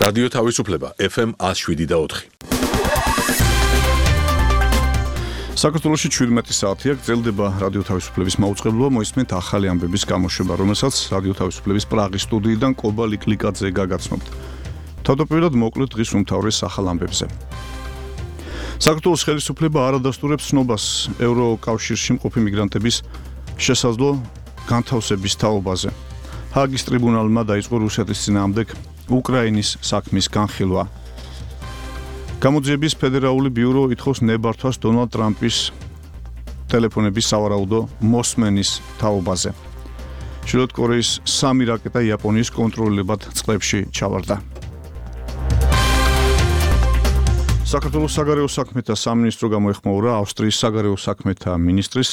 რადიო თავისუფლება FM 107.4. საქართველოში 17 საათია გრძელდება რადიო თავისუფლების მაუწყებლობა, მოისმენთ ახალი ამბების გამოშვება, რომელსაც რადიო თავისუფლების პრაღის სტუდიიდან კობა ლიკლიკაძე გაგაცნობთ. თავდაპირველად მოკლედ დღის უმთავრეს ახალ ამბებზე. საქართველოს ხელისუფლება არ ადასტურებს ცნობას ევროკავშირში მყოფი მიგრანტების შესაძლო განთავსების თაობაზე. ჰააგის ტრიბუნალმა დაიწყო რუსეთის წინააღმდეგ უკრაინის საქმის განხილვა. გამოძიების ფედერალური ბიურო ითხოვს ნებართვას დონალდ ტრამპის ტელეფონების სავარაუდო მოსმენის თაობაზე. ჩრდილოეთ კორეის 3 რაკეტა იაპონიის კონტროლებად წყლებში ჩავარდა. საქართველოს საგარეო საქმეთა სამინისტრო გამოეხმაურა ავსტრიის საგარეო საქმეთა მინისტრის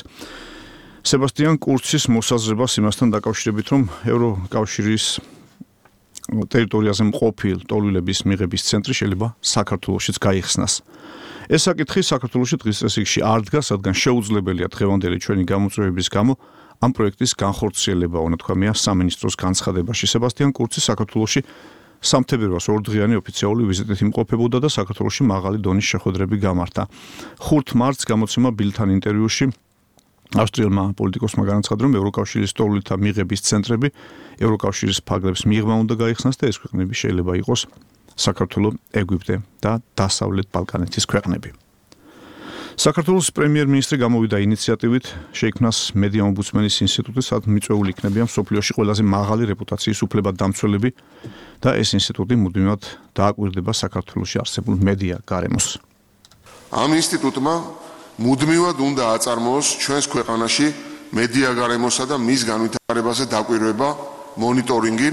სებასტიან კურცის მოსაზრებას იმასთან დაკავშირებით, რომ ევროკავშირის ტერიტორიაზე მყოფი ტოლვილების მიღების ცენტრი შეიძლება საქართველოშიც გაიხსნას. ეს საკითხი საქართველოში დღის წესრიგში არ დგას, რადგან შეუძლებელია დღევანდელი ჩვენი გამოწვევების გამო ამ პროექტის განხორციელება, უნათქვამია სამინისტროს განცხადებაში. სებასტიან კურცი საქართველოში სამთებერვალს ორდღიანი ოფიციალური ვიზიტით იმყოფებოდა და საქართველოში მაღალი დონის შეხვედრები გამართა. 5 მარტს გამოცემა ბილთან ინტერვიუში ავსტრიელმა პოლიტიკოსმა განაცხადა, რომ ევროკავშირის ტოლვილთა მიღების ცენტრები ევროკავშირის ფარგლებს მიღმა უნდა გაიხსნას და ეს ქვეყნები შეიძლება იყოს საქართველო, ეგვიპტე და დასავლეთ ბალკანეთის ქვეყნები. საქართველოს პრემიერ-მინისტრი გამოვიდა ინიციატივით შეიქმნას მედია ომბუდსმენის ინსტიტუტი, სადაც მიწვეული იქნებიან მსოფლიოში ყველაზე მაღალი რეპუტაციის უფლებადდამცველები და ეს ინსტიტუტი მუდმივად დააკვირდება საქართველოში არსებულ მედია გარემოს. ამ ინსტიტუტმა მუდმივად უნდა აწარმოოს ჩვენს ქვეყანაში მედია გარემოსა და მის განვითარებაზე დაკვირვება, მონიტორინგი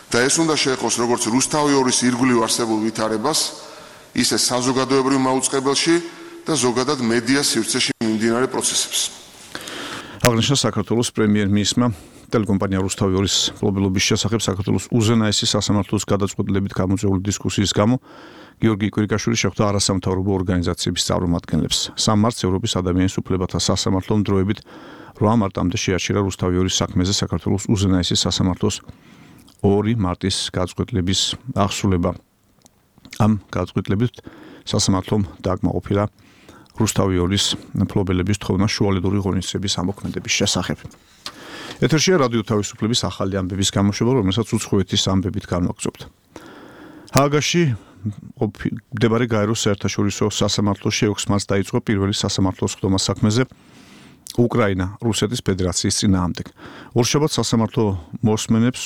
და ეს უნდა შეეხოს როგორც რუსთავი 2-ის ირგვლივ არსებულ ვითარებას, ისე საზოგადოებრივ მაუწყებელში და ზოგადად მედია სივრცეში მიმდინარე პროცესებს. აღნიშნა საქართველოს პრემიერ-მინისტრმა ტელეკომპანია რუსთავი 2-ის მფლობელობის შესახებ საქართველოს უზენაესი სასამართლოს გადაწყვეტილებით გამოწვეული დისკუსიის გამო გიორგი კვირიკაშვილი შეხვდა არასამთავრობო ორგანიზაციების წარმომადგენლებს. 3 მარტს ევროპის ადამიანის უფლებათა სასამართლომ დროებით 8 მარტამდე შეაჩერა რუსთავი 2-ის საქმეზე საქართველოს უზენაესი სასამართლოს 2 მარტის გადაწყვეტილების აღსრულება. ამ გადაწყვეტილებით სასამართლომ დააკმაყოფილა რუსთავი 2-ის მფლობელების თხოვნა შუალედური ღონისძიების ამოქმედების შესახებ. ეთერშია რადიო თავისუფლების ახალი ამბების გამოშვება, რომელსაც უცხოეთის ამბებით განვაგრძობთ. ჰააგაში მდებარე გაეროს საერთაშორისო სასამართლოში 6 მარტს დაიწყო პირველი სასამართლოს ხდომა საქმეზე უკრაინა რუსეთის ფედერაციის წინააღმდეგ. ორშაბათს სასამართლო მოსმენებს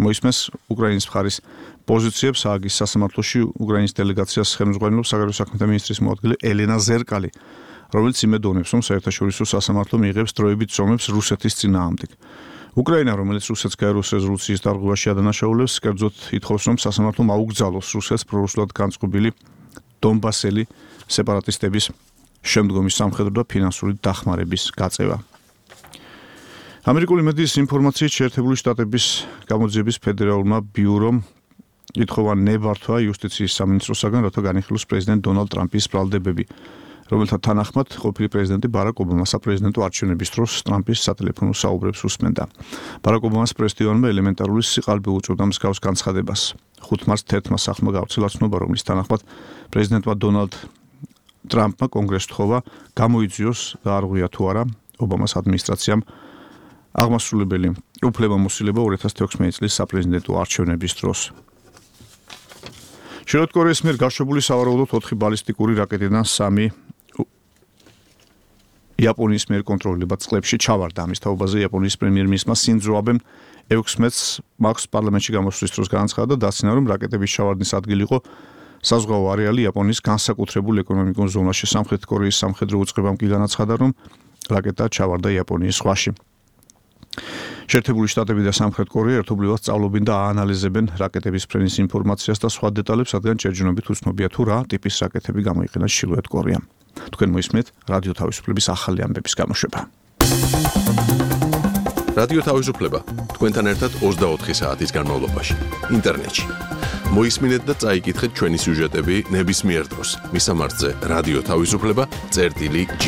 მოისმენს უკრაინის მხარის პოზიციებს. ჰააგის სასამართლოში უკრაინის დელეგაციას ხელმძღვანელობს საგარეო საქმეთა მინისტრის მოადგილე ელენა ზერკალი, რომელიც იმედოვნებს, რომ საერთაშორისო სასამართლო მიიღებს დროებით ზომებს რუსეთის წინააღმდეგ. უკრაინა, რომელიც რუსეთს გაეროს რეზოლუციის დარღვევაში ადანაშაულებს, კერძოდ ითხოვს, რომ სასამართლომ აუგზავნოს რუსეთს პრორუსულად განწყობილი დონბასელი სეპარატისტების შემდგომი სამხედრო და ფინანსური დახმარების გაწევა. ამერიკული მედიის ინფორმაციით შეერთებული შტატების გამოძიების ფედერალურმა ბიურომ ითხოვა ნებართვა იუსტიციის სამინისტროსაგან, რათა განიხილოს პრეზიდენტ დონალდ ტრამპის ბრალდებები, რომელთა თანახმად ყოფილი პრეზიდენტი ბარაკ ობამა საპრეზიდენტო არჩევნების დროს ტრამპის სატელეფონო საუბრებს უსმენდა. ბარაკ ობამას პრესდივანმა ელემენტარული სიყალბე უწევდა მსგავს განცხადებას. 5 მარტს თერთმა სახლმა გავრცელა ცნობა, რომლის თანახმად პრეზიდენტმა დონალდ ტრამპმა კონგრესს თხოვა გამოიძიოს და არღვია თუ არა ობამას ადმინისტრაციამ აღმასრულებელი უფლებამოსილება 2016 წლის საპრეზიდენტო არჩევნების დროს. ჩრდილოეთ კორეის მიერ გაშვებული სავარაუდოდ 4 ბალისტიკური რაკეტიდან 3 იაპონიის მიერ კონტროლებად წყლებში ჩავარდა. ამის თაობაზე იაპონიის პრემიერ-მინისტრმა სინძო აბემ 16 მარტს პარლამენტში გამოსვლის დროს განაცხადა და დაცინა, რომ რაკეტების ჩავარდნის ადგილი იყო საზღვაო არეალი იაპონიის განსაკუთრებულ ეკონომიკურ ზონაში. სამხრეთ კორეის სამხედრო უწყებამ კი განაცხადა, რომ რაკეტა ჩავარდა იაპონიის ზღვაში. შეერთებული შტატები და სამხრეთ კორეა ერთობლივად სწავლობენ და აანალიზებენ რაკეტების ფრენის ინფორმაციას და სხვა დეტალებს, რადგან ჯერჯერობით უცნობია თუ რა ტიპის რაკეტები გამოიყენა ჩრდილოეთ კორეამ. თქვენ მოისმენთ რადიო თავისუფლების ახალი ამბების გამოშვება. რადიო თავისუფლება თქვენთან ერთად 24 საათის განმავლობაში ინტერნეტში. მოისმინეთ და წაიკითხეთ ჩვენი სიუჟეტები ნებისმიერ დროს. მისამართზე რადიო თავისუფლება წერტილი G.